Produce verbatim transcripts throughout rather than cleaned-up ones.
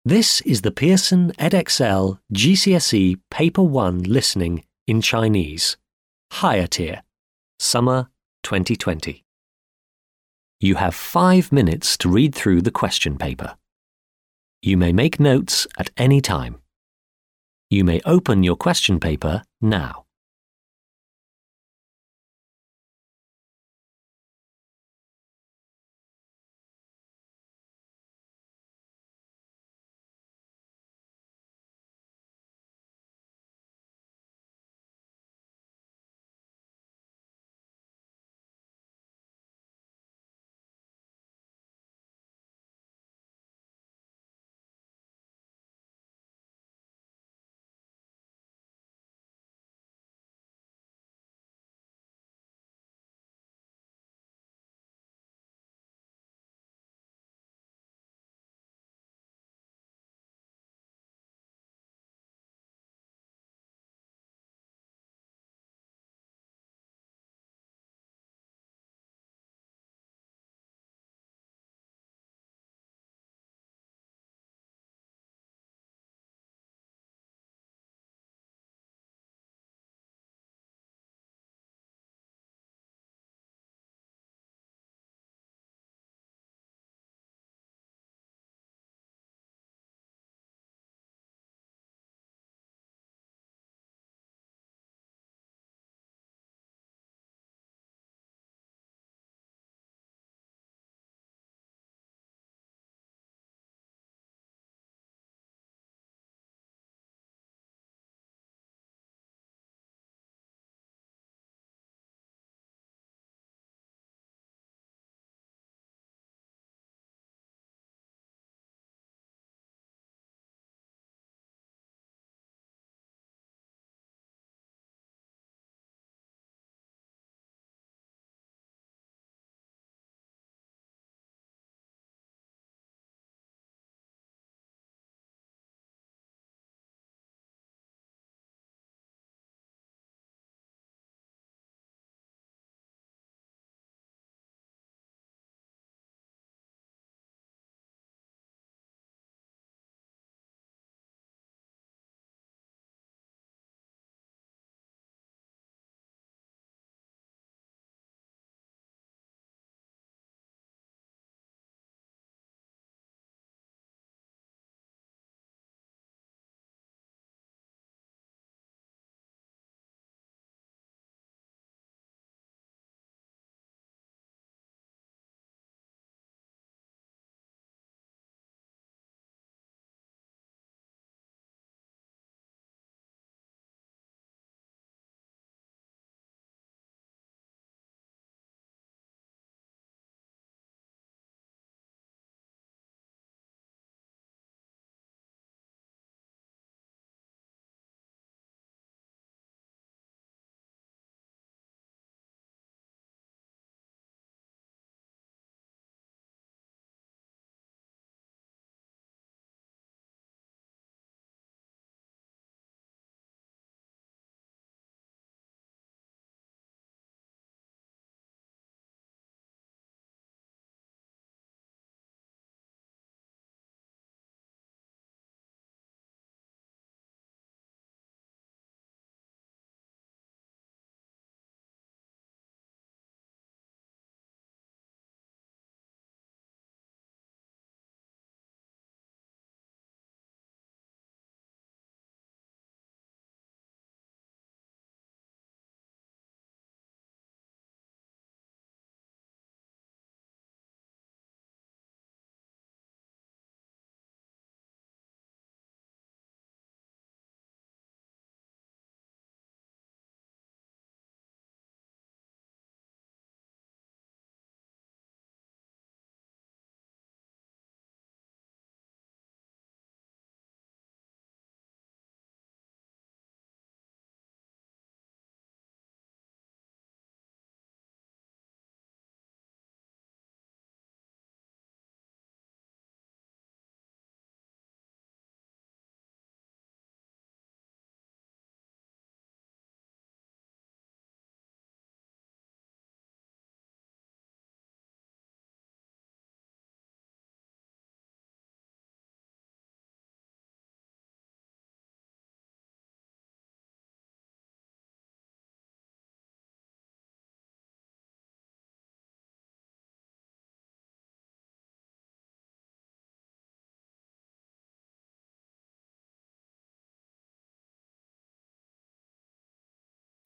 This is the Pearson Edexcel G C S E Paper one Listening in Chinese, Higher Tier, Summer twenty twenty. You have five minutes to read through the question paper. You may make notes at any time. You may open your question paper now.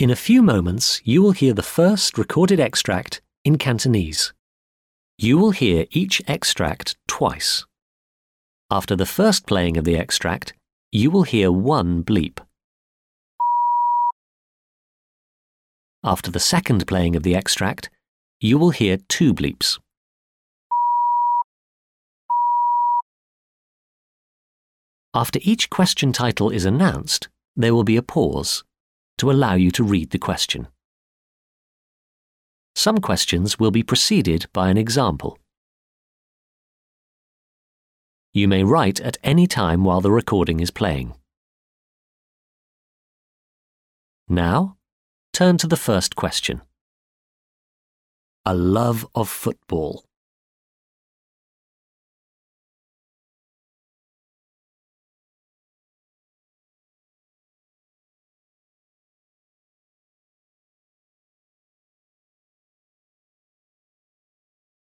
In a few moments, you will hear the first recorded extract in Cantonese. You will hear each extract twice. After the first playing of the extract, you will hear one bleep. After the second playing of the extract, you will hear two bleeps. After each question title is announced, there will be a pause to allow you to read the question. Some questions will be preceded by an example. You may write at any time while the recording is playing. Now, turn to the first question. A love of football.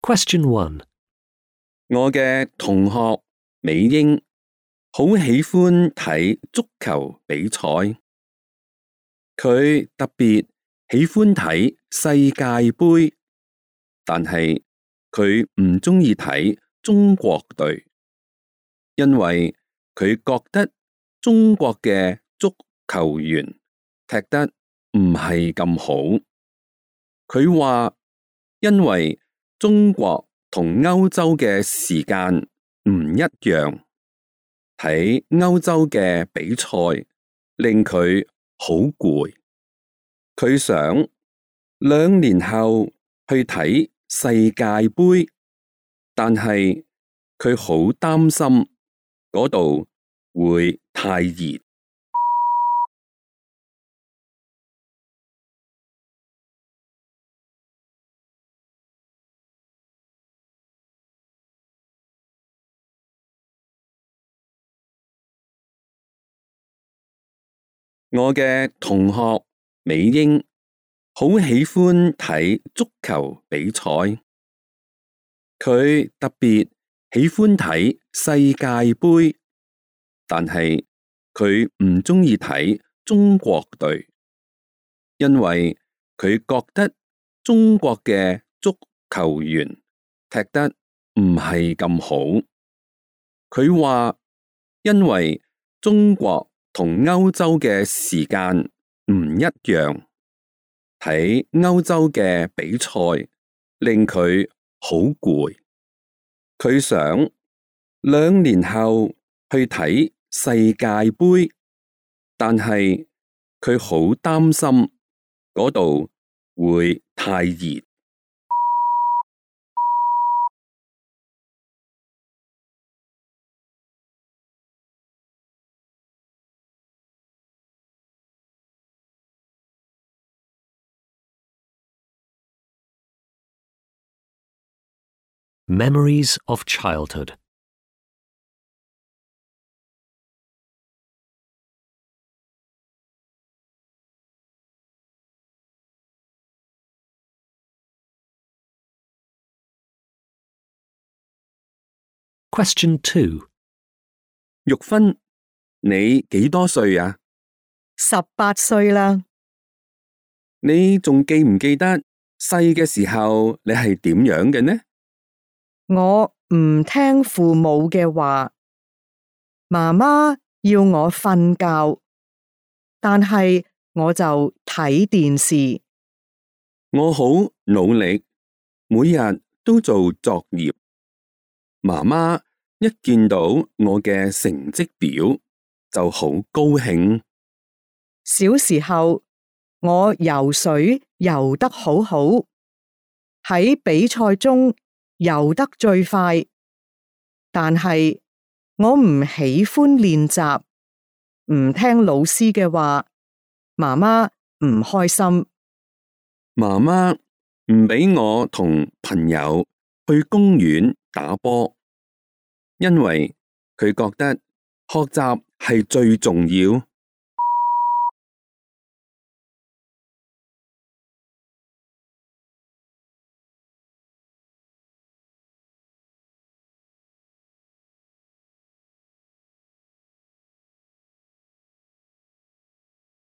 Question one. 我嘅同學美英好喜歡睇足球比賽，佢特別喜歡睇世界盃，但係佢唔鍾意睇中國隊，因為佢覺得中國嘅足球員踢得唔係咁好。佢話因為中國同歐洲嘅時間唔一樣，睇歐洲嘅比賽令佢好攰。佢想兩年後去睇世界盃，但係佢好擔心嗰度會太熱。我嘅同學美英好喜歡睇足球比賽，佢特別喜歡睇世界盃，但係佢唔鍾意睇中國隊，因為佢覺得中國嘅足球員踢得唔係咁好。佢話因為中國同歐洲嘅時間唔一樣，睇歐洲嘅比賽令佢好攰。佢想兩年後去睇世界盃，但係佢好擔心嗰度會太熱。Memories of childhood. Question two. 玉芬，你幾多歲啊？十八歲啦。你仲記唔記得細嘅時候你係點樣嘅呢？我唔聽父母嘅話，媽媽要我瞓覺，但係我就睇電視。我好努力，每日都做作業。媽媽一見到我嘅成績表就好高興。小時候，我游水游得好好，喺比賽中游得最快，但係我唔喜歡練習，唔聽老師嘅話，媽媽唔開心。媽媽唔俾我同朋友去公園打波，因為佢覺得學習係最重要。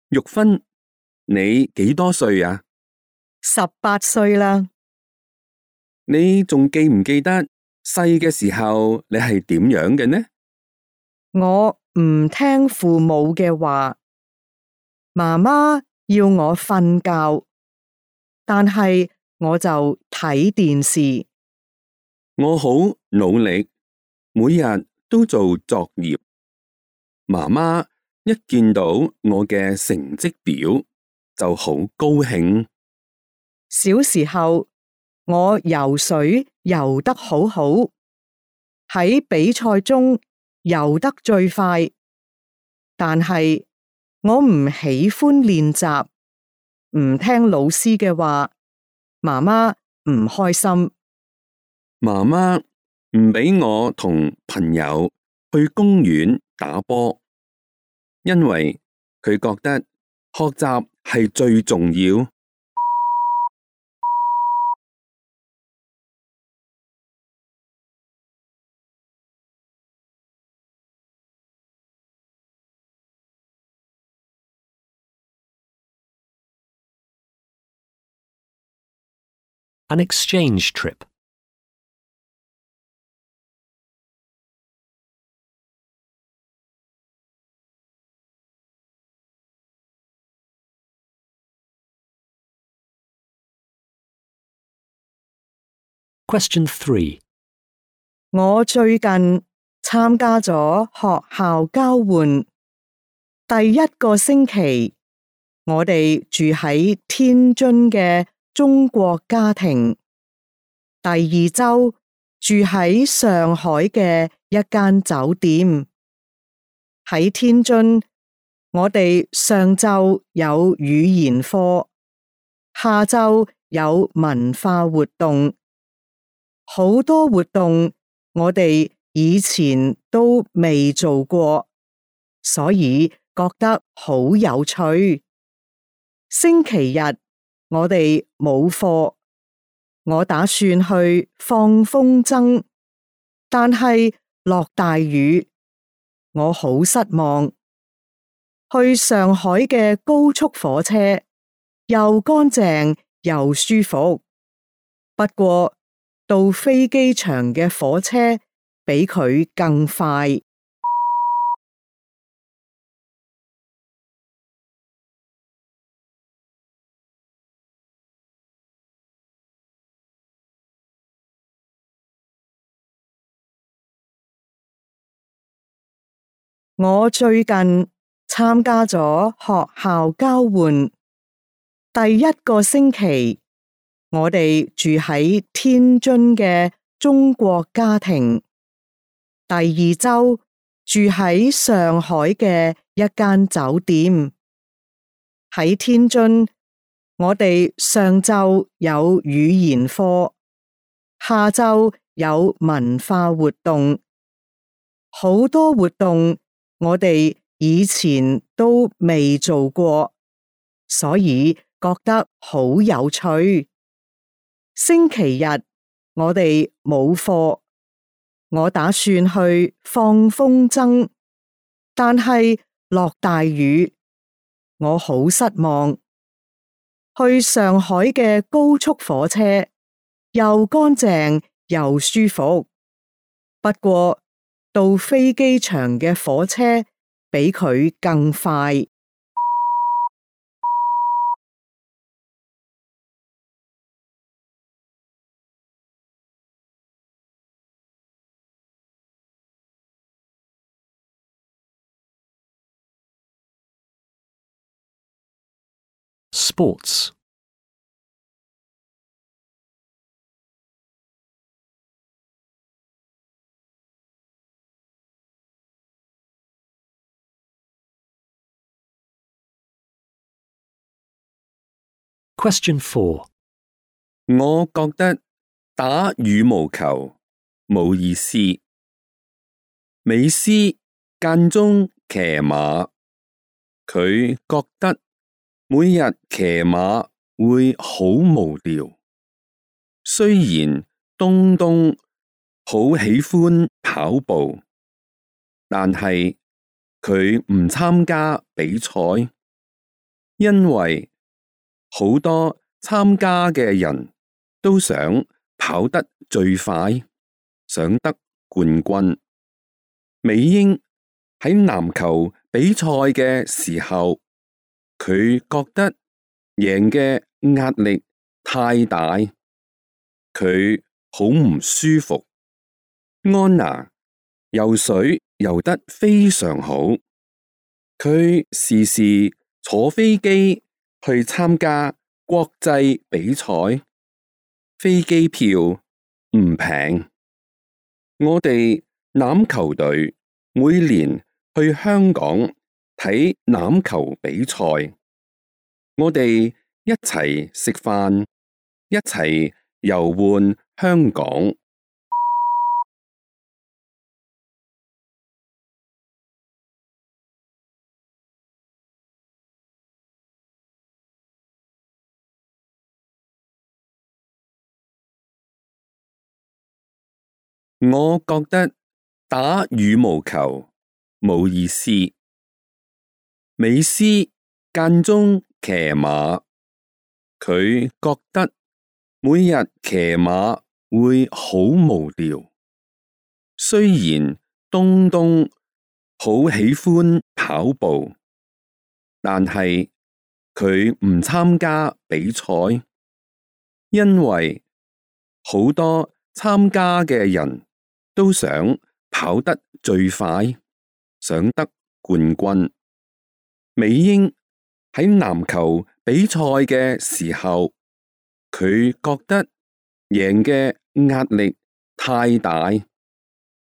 玉芬，你幾多歲啊？十八歲啦。你仲記唔記得細嘅時候你係點樣嘅呢？我唔聽父母嘅話，媽媽要我瞓覺，但係我就睇電視。我好努力，每日都做作業。媽媽一見到我嘅成績表就好高興。小時候我游水游得好好，喺比賽中游得最快，但係我唔喜歡練習，唔聽老師嘅話，媽媽唔開心。媽媽唔俾我同朋友去公園打波，因為佢覺得學習係最重要。An exchange trip. Question three. 我最近參加咗學校交換，第一個星期我哋住喺天津嘅中國家庭，第二周住喺上海嘅一間酒店。喺天津，我哋上晝有語言課，下晝有文化活動，好多活動我哋以前都未做過，所以覺得好有趣。星期日我哋冇課，我打算去放風箏，但係落大雨，我好失望。去上海嘅高速火車又乾淨又舒服，不過到飛機場嘅火車比佢更快。我最近參加咗學校交換，第一個星期我哋住喺天津嘅中國家庭，第二周住喺上海嘅一間酒店。喺天津，我哋上晝有語言課，下晝有文化活動，好多活動我哋以前都未做過，所以覺得好有趣。星期日我哋冇課，我打算去放風箏，但係落大雨，我好失望。去上海嘅高速火車又乾淨又舒服，不過到飛機場嘅火車比佢更快。Sports. Question four. 我覺得打羽毛球冇意思。美斯間中騎馬，佢覺得每日騎馬會好無聊。雖然東東好喜歡跑步，但係佢唔參加比賽，因為好多參加嘅人都想跑得最快，想得冠軍。美英喺籃球比賽嘅時候，佢覺得贏嘅壓力太大，佢好唔舒服。安娜游水游得非常好，佢時時坐飛機去參加國際比賽，飛機票唔平。我哋欖球隊每年去香港睇欖球比賽，我哋一齊食飯，一齊遊玩香港。我覺得打羽毛球冇意思。美斯間中騎馬，佢覺得每日騎馬會好無聊。雖然東東好喜歡跑步，但係佢唔參加比賽，因為好多參加嘅人都想跑得最快，想得冠軍。美英喺籃球比賽嘅時候，佢覺得贏嘅壓力太大，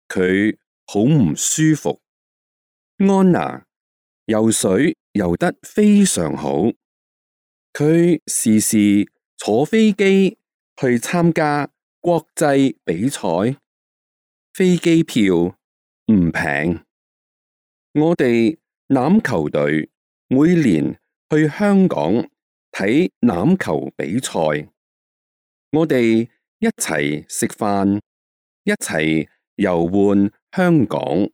佢好唔舒服。安娜游水游得非常好，佢時時坐飛機去參加國際比賽，飛機票唔平。我哋欖球隊每年去香港睇欖球比賽，我哋一齊食飯，一齊遊玩香港。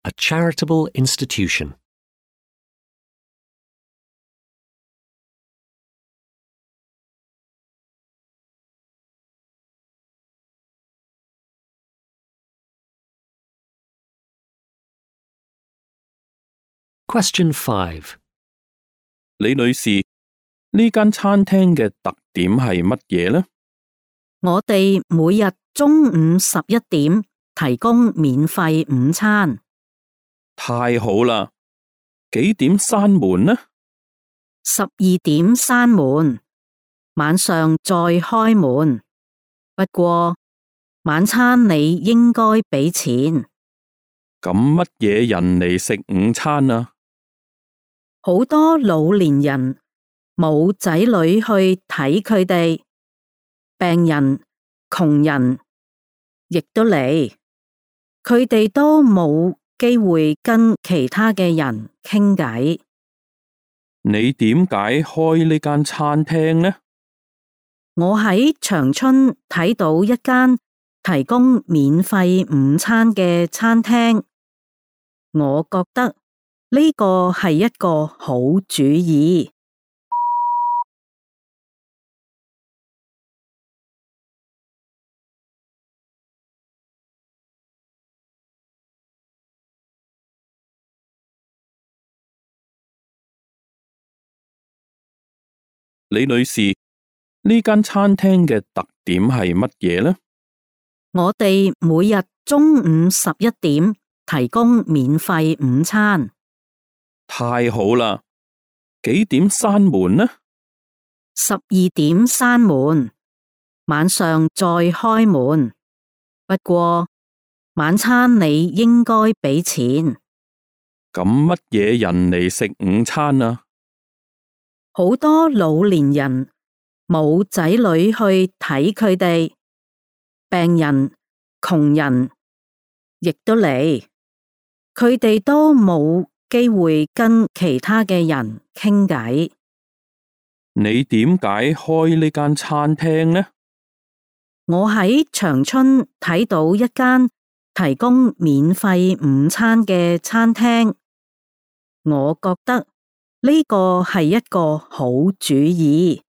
A charitable institution. Question five. 李女士，呢間餐廳嘅特點係乜嘢呢？我哋每日中午十一點提供免費午餐。太好啦！幾點閂門呢？十二點閂門，晚上再開門。不過晚餐你應該俾錢。咁乜嘢人嚟食午餐啊？好多老年人冇仔女去睇佢哋，病人、窮人亦都嚟，佢哋都冇機會跟其他嘅人傾偈。你點解開呢間餐廳呢？我喺長春睇到一間提供免費午餐嘅餐廳，我覺得呢個係一個好主意。李女士，呢間餐廳嘅特點係乜嘢呢？我哋每日中午十一點提供免費午餐。太好啦！幾點閂門呢？十二點閂門，晚上再開門。不過晚餐你應該俾錢。咁乜嘢人嚟食午餐啊？好多老年人冇仔女去睇佢哋，病人、窮人亦都嚟，佢哋都冇機會跟其他嘅人傾偈。你點解開呢間餐廳呢？我喺長春睇到一間提供免費午餐嘅餐廳，我覺得呢個係一個好主意。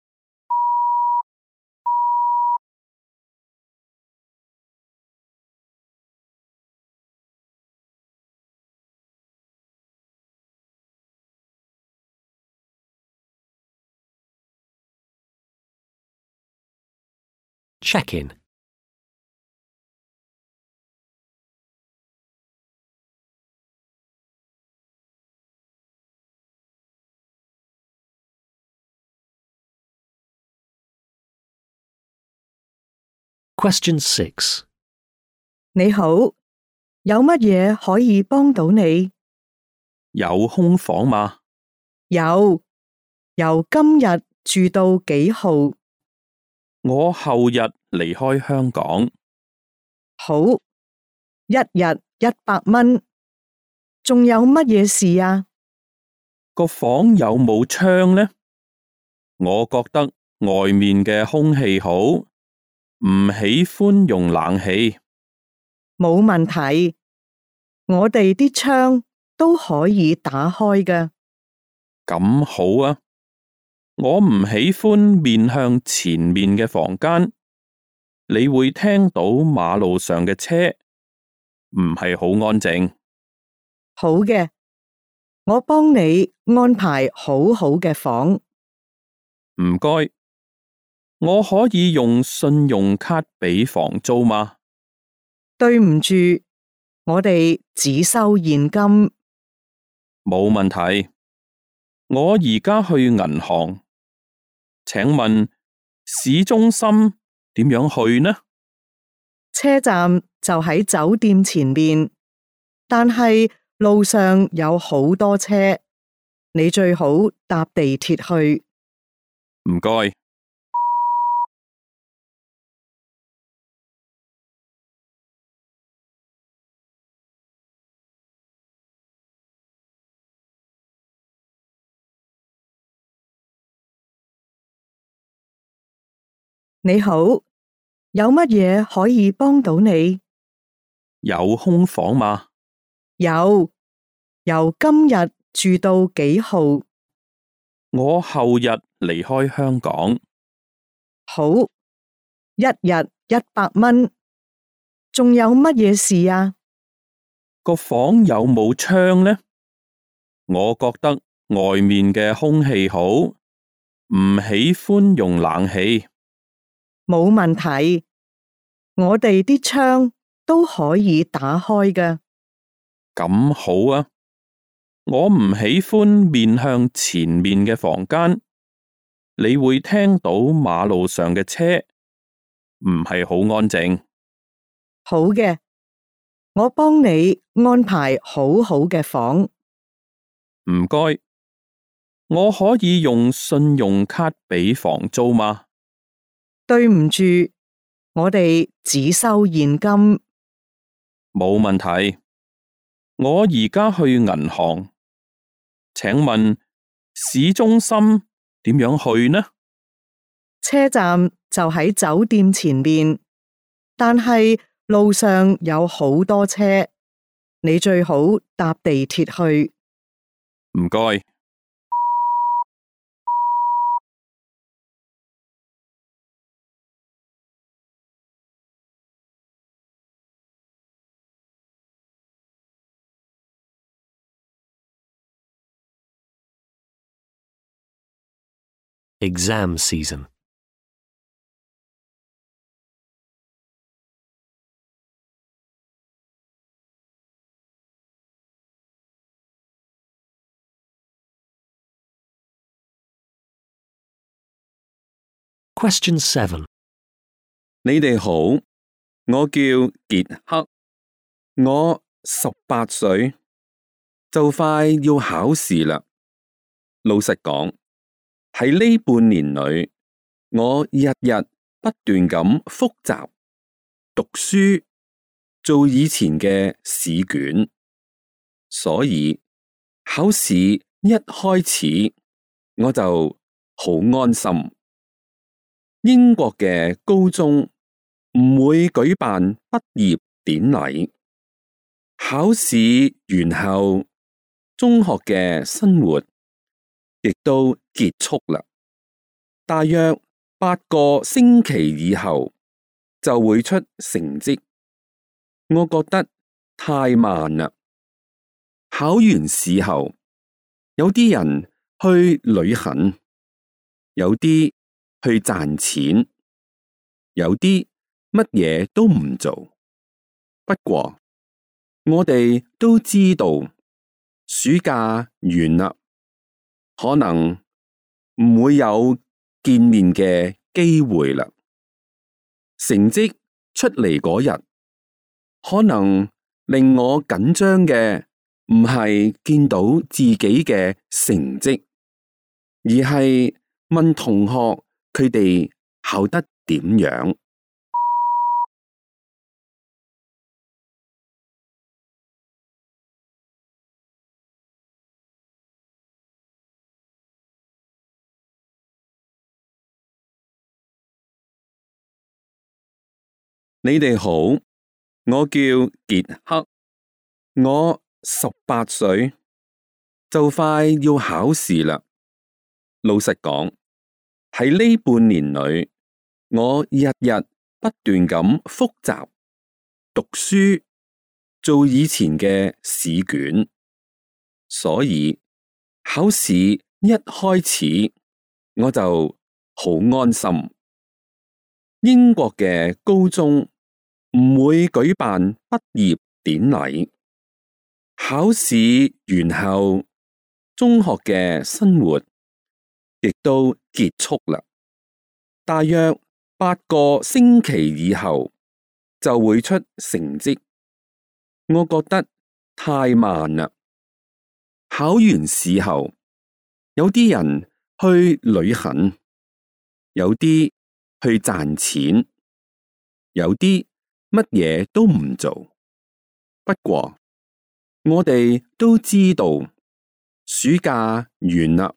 Check in. Question six. 你好，有乜嘢可以幫到你？有空房嗎？有，由今日住到幾號？我後日離開香港。好，一日一百蚊。仲有乜嘢事啊？個房有冇窗呢？我覺得外面嘅空氣好，唔喜歡用冷氣。冇問題，我哋啲窗都可以打開㗎。咁好啊！我唔喜歡面向前面嘅房間，你會聽到馬路上嘅車，唔係好安靜。好嘅，我幫你安排好好嘅房。唔該，我可以用信用卡俾房租嗎？對唔住，我哋只收現金。冇問題，我而家去銀行。請問市中心點樣去呢？車站就喺酒店前面，但係路上有好多車，你最好搭地鐵去。唔該。你好，有乜嘢可以幫到你？有空房嗎？有，由今日住到幾號？我後日離開香港。好，一日一百蚊。仲有乜嘢事啊？個房有冇窗呢？我覺得外面嘅空氣好，唔喜歡用冷氣。冇問題，我哋啲窗都可以打開㗎。咁好啊！我唔喜歡面向前面嘅房間，你會聽到馬路上嘅車，唔係好安靜。好嘅，我幫你安排好好嘅房。唔該，我可以用信用卡俾房租嗎？對唔住，我哋只收現金。冇問題，我而家去銀行。請問市中心點樣去呢？車站就喺酒店前面，但係路上有好多車，你最好搭地鐵去。唔該。Exam season. Question seven. 你哋好，我叫傑克，我十八歲，就快要考試啦。老實講，喺呢半年裏，我日日不斷咁複習、讀書、做以前嘅試卷，所以考試一開始我就好安心。英國嘅高中唔會舉辦畢業典禮，考試完後，中學嘅生活亦都結束啦。大約八個星期以後就會出成績，我覺得太慢啦。考完試後，有啲人去旅行，有啲去賺錢，有啲乜嘢都唔做。不過我哋都知道暑假完啦，可能唔會有見面嘅機會啦。成績出嚟嗰日，可能令我緊張嘅唔係見到自己嘅成績，而係問同學佢哋考得點樣。你哋好，我叫傑克，我十八歲，就快要考試啦。老實講，喺呢半年裏，我日日不斷咁複習、讀書、做以前嘅試卷，所以考試一開始我就好安心。英國嘅高中唔會舉辦畢業典禮，考試完後，中學嘅生活亦都結束啦。大約八個星期以後就會出成績，我覺得太慢啦。考完試後，有啲人去旅行，有啲去賺錢，有啲乜嘢都唔做。不過我哋都知道暑假完啦，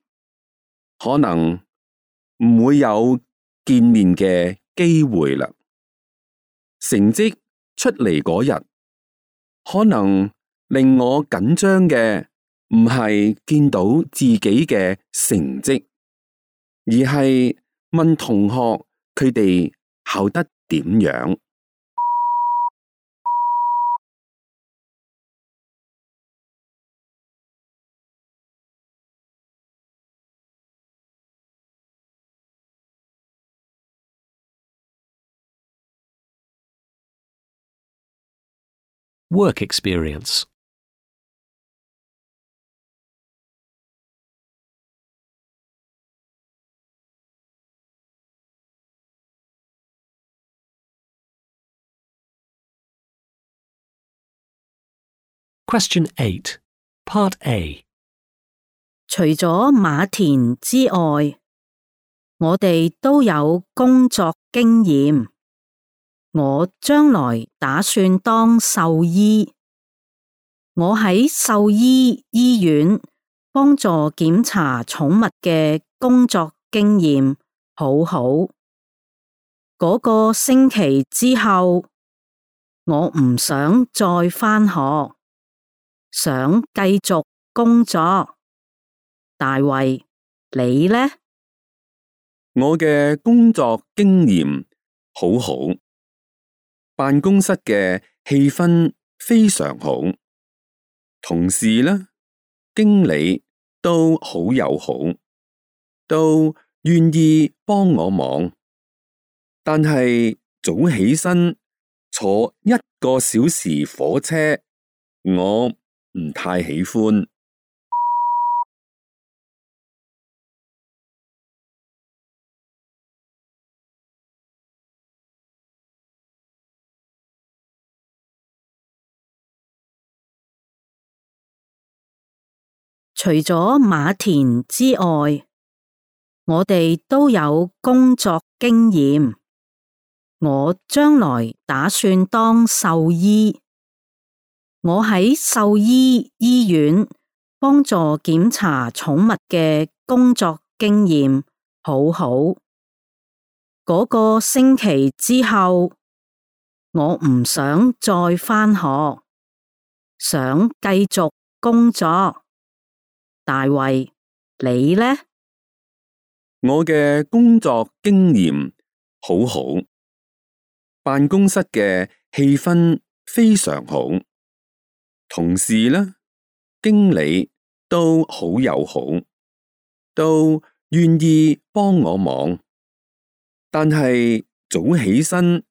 可能唔會有見面嘅機會啦。成績出嚟嗰日，可能令我緊張嘅唔係見到自己嘅成績，而係問同學佢哋考得點樣。Work experience. Question eight, Part A. 除咗馬田之外，我哋都有工作經驗。我將來打算當獸醫。我喺獸醫醫院幫助檢查寵物嘅工作經驗好好。嗰個星期之後，我唔想再返學，想繼續工作。大衛，你呢？我嘅工作經驗好好，辦公室嘅氣氛非常好，同事呢、經理都好友好，都願意幫我忙。但係早起身坐一個小時火車，我唔太喜歡。除咗馬田之外，我哋都有工作經驗。我將來打算當獸醫。我喺獸醫醫院幫助檢查寵物嘅工作經驗好好。嗰個星期之後，我唔想再返學，想繼續工作。大衛，你呢？我嘅工作經驗好好，辦公室嘅氣氛非常好，同事呢，經理都好友好，都願意幫我忙。但係早起身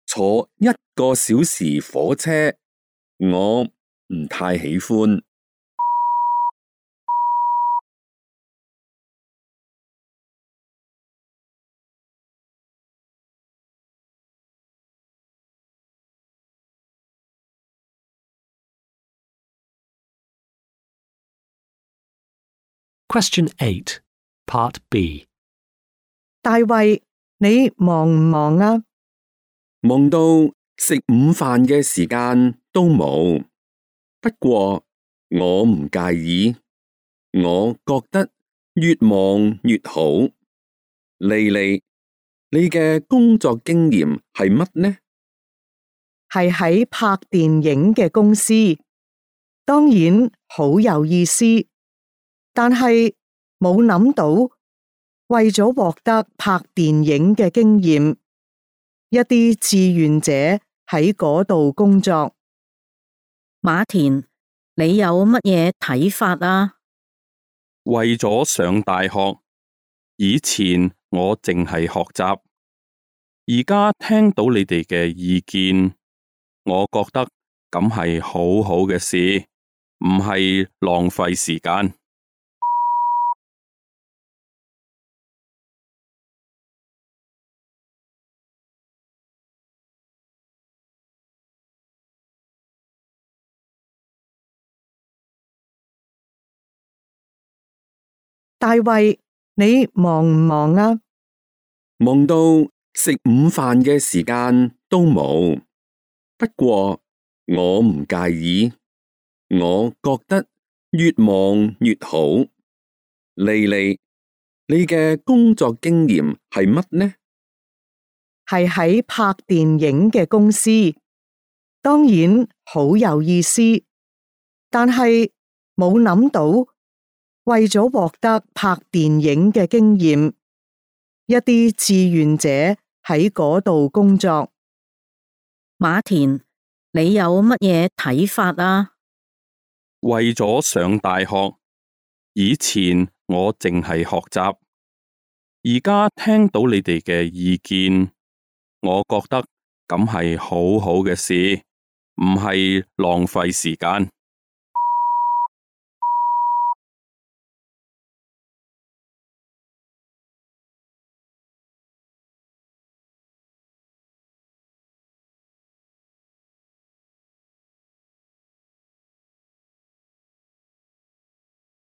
坐一個小時火車，我唔太喜歡。Question eight, Part B. 大衛，你忙唔忙啊？忙到食午飯嘅時間都冇。不過我唔介意，我覺得越忙越好。莉莉，你嘅工作經驗係乜呢？係喺拍電影嘅公司，當然好有意思，但係冇諗到為咗獲得拍電影嘅經驗，一啲志願者喺嗰度工作。馬田，你有乜嘢睇法啊？為咗上大學，以前我淨係學習，而家聽到你哋嘅意見，我覺得咁係好好嘅事，唔係浪費時間。大衛，你忙唔忙啊？忙到食午飯嘅時間都冇。不過我唔介意，我覺得越忙越好。莉莉，你嘅工作經驗係乜呢？係喺拍電影嘅公司，當然好有意思，但係冇諗到為咗獲得拍電影嘅經驗，一啲志願者喺嗰度工作。馬田，你有乜嘢睇法啊？為咗上大學，以前我淨係學習，而家聽到你哋嘅意見，我覺得咁係好好嘅事，唔係浪費時間。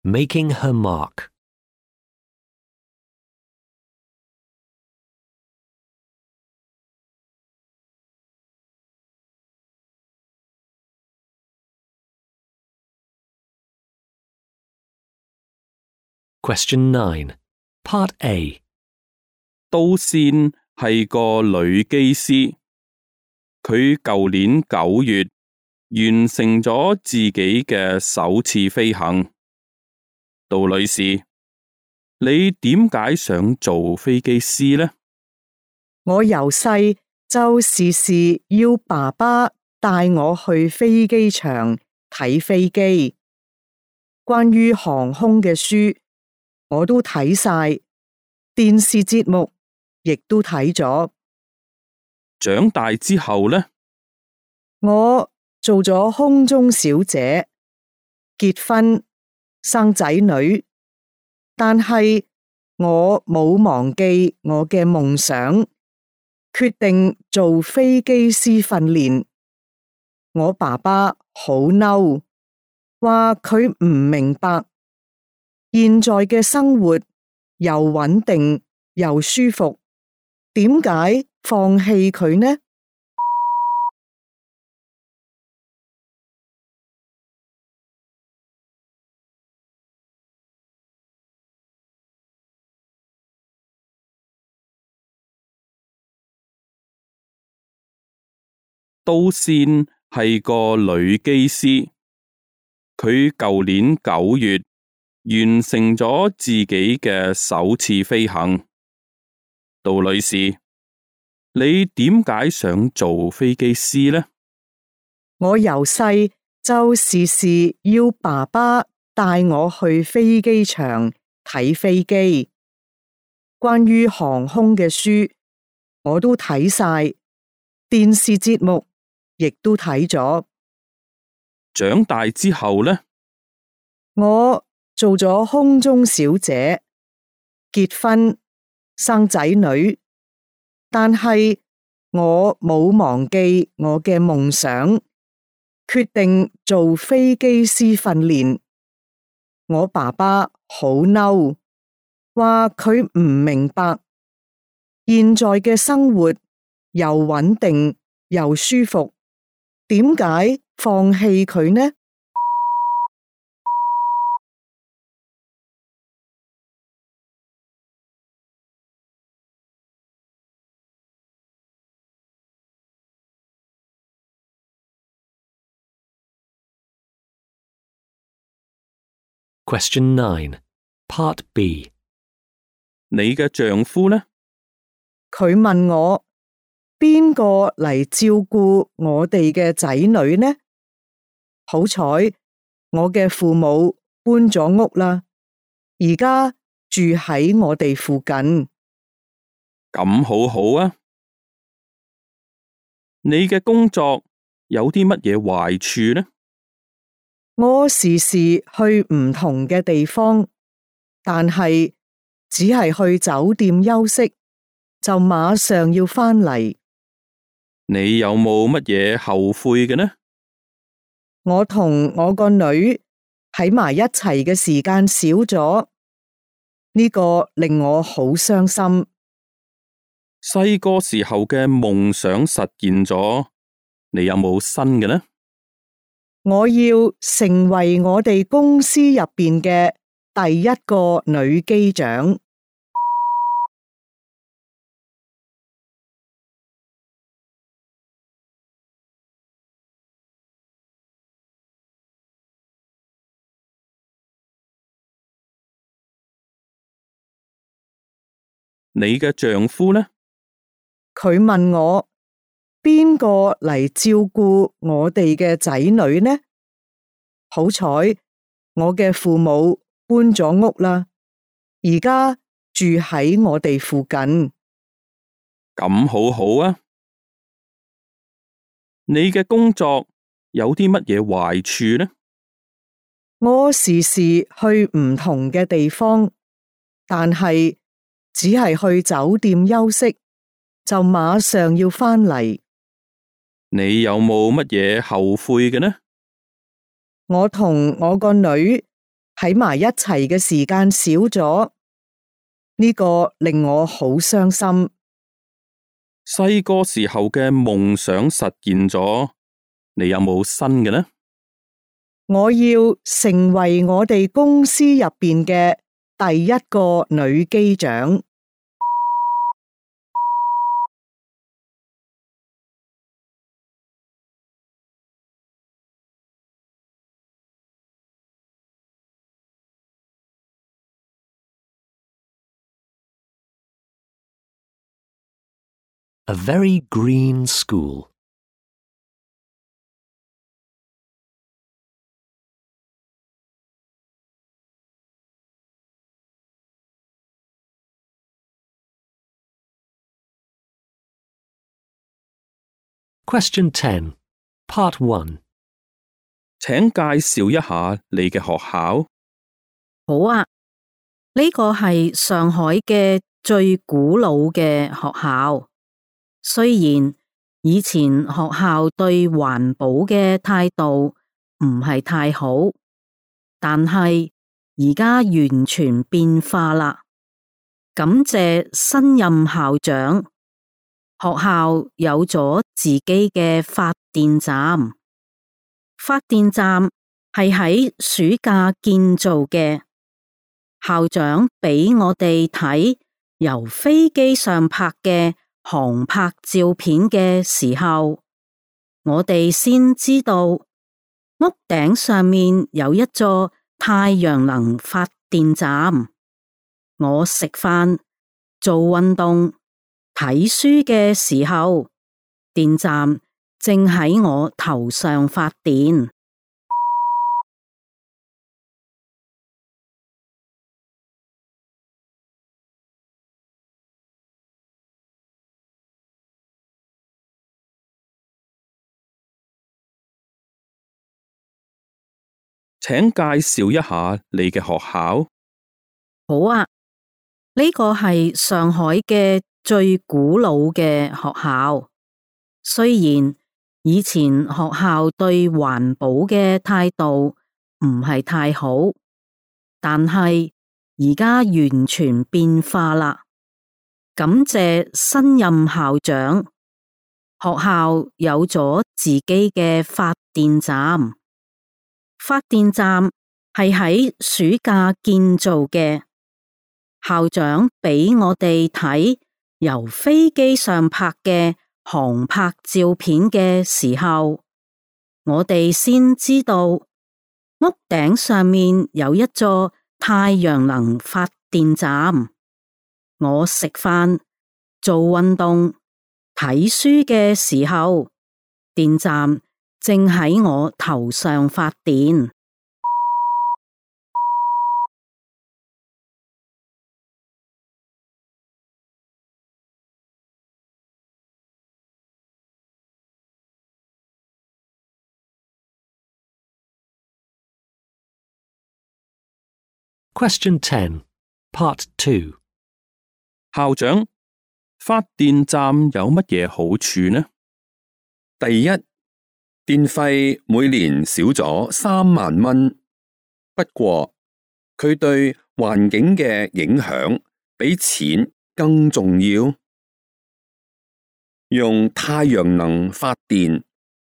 Making her mark. Question nine, Part A. 都線係個女機師，佢舊年九月完成咗自己嘅首次飛行。杜女士，你點解想做飛機師呢？我由細就時時要爸爸帶我去飛機場睇飛機，關於航空嘅書我都睇晒，電視節目亦都睇咗。長大之後呢？我做咗空中小姐，結婚生仔女，但係我冇忘記我嘅夢想，決定做飛機師訓練。我爸爸好嬲，話佢唔明白現在嘅生活又穩定又舒服，點解放棄佢呢？杜善係個女機師，佢舊年九月完成咗自己嘅首次飛行。杜女士，你點解想做飛機師呢？我由細就時時要爸爸帶我去飛機場睇飛機，關於航空嘅書我都睇晒，電視節目亦都睇咗。長大之後呢？我做咗空中小姐，結婚生仔女，但係我冇忘記我嘅夢想，決定做飛機師訓練。我爸爸好嬲，話佢唔明白現在嘅生活又穩定又舒服，點解放棄佢呢？Question nine, Part B. 你嘅丈夫呢？佢問我邊個嚟照顧我哋嘅仔女呢？好彩我嘅父母搬咗屋啦，而家住喺我哋附近。咁好好啊！你嘅工作有啲乜嘢壞處呢？我時時去唔同嘅地方，但係只係去酒店休息，就馬上要返嚟。你有冇乜嘢後悔嘅呢？我同我個女喺埋一齊嘅時間少咗，呢個令我好傷心。細個時候嘅夢想實現咗，你有冇新嘅呢？我要成為我哋公司入邊嘅第一個女機長。你嘅丈夫呢？佢問我邊個嚟照顧我哋嘅仔女呢？好彩我嘅父母搬咗屋啦，而家住喺我哋附近。咁好好啊！你嘅工作有啲乜嘢壞處呢？我時時去唔同嘅地方，但係只係去酒店休息，就馬上要返嚟。你有冇乜嘢後悔嘅呢？我同我個女喺埋一齊嘅時間少咗，呢個令我好傷心。細個時候嘅夢想實現咗，你有冇新嘅呢？我要成為我哋公司入邊嘅第一個女機長。A very green school. Question ten, Part one. 請介紹一下你嘅學校。好啊，呢個係上海嘅最古老嘅學校。雖然以前學校對環保嘅態度唔係太好，但係而家完全變化啦。感謝新任校長，學校有咗自己嘅發電站。發電站係喺暑假建造嘅。校長俾我哋睇由飛機上拍嘅航拍照片嘅時候，我哋先知道屋頂上面有一座太陽能發電站。我食飯、做運動、睇書嘅時候，電站正喺我頭上發電。請介紹一下你嘅學校。好啊，呢個係上海嘅最古老嘅學校。雖然以前學校對環保嘅態度唔係太好，但係而家完全變化啦。感謝新任校長，學校有咗自己嘅發電站。發電站係喺暑假建造嘅。校長俾我哋睇由飛機上拍嘅航拍照片嘅時候，我哋先知道屋頂上面有一座太陽能發電站。我食飯、做運動、睇書嘅時候，電站正喺我頭上發電。Question ten, Part two. 校長，發電站有乜嘢好處呢？第一，電費每年少咗三萬蚊，不過佢對環境嘅影響比錢更重要。用太陽能發電，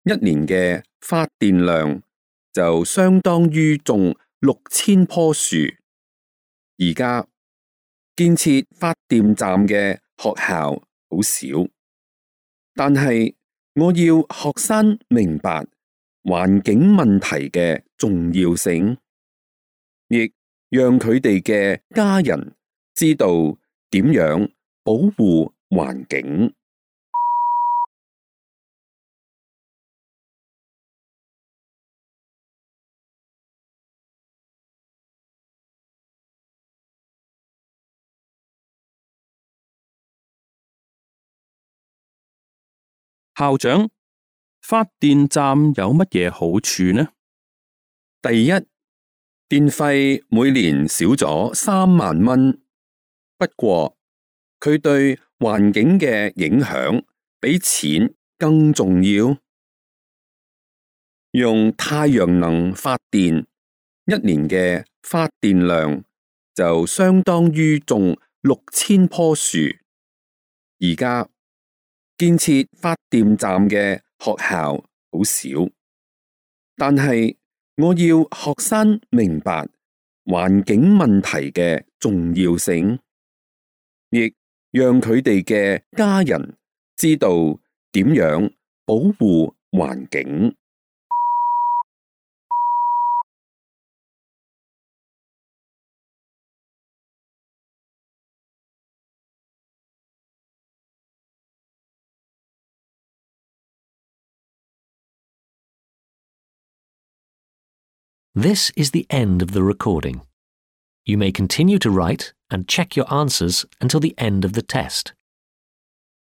一年嘅發電量就相當於種六千棵樹。而家建設發電站嘅學校好少，但係我要學生明白環境問題嘅重要性，亦讓佢哋嘅家人知道點樣保護環境。校長，發電站有乜嘢好處呢？第一，電費每年少咗三萬蚊，不過佢對環境嘅影響比錢更重要。用太陽能發電，一年嘅發電量就相當於種六千棵樹。而家建設發電站嘅學校好少，但係我要學生明白環境問題嘅重要性，亦讓佢哋嘅家人知道點樣保護環境。This is the end of the recording. You may continue to write and check your answers until the end of the test.